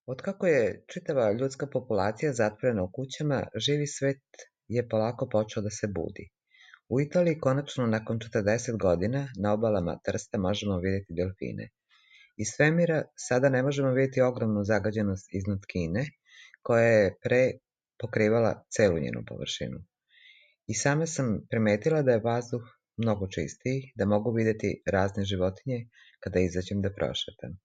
Otkako je čitava ljudska populacija zatvorena u kućama, živi svet je polako počeo da se budi. U Italiji konačno nakon 40 godina na obalama Trsta možemo vidjeti delfine. Iz svemira sada ne možemo vidjeti ogromnu zagađenost iznad Kine, koja je pre pokrivala celu njenu površinu. I sama sam primetila da je vazduh mnogo čistiji, da mogu vidjeti razne životinje kada izađem da prošetam.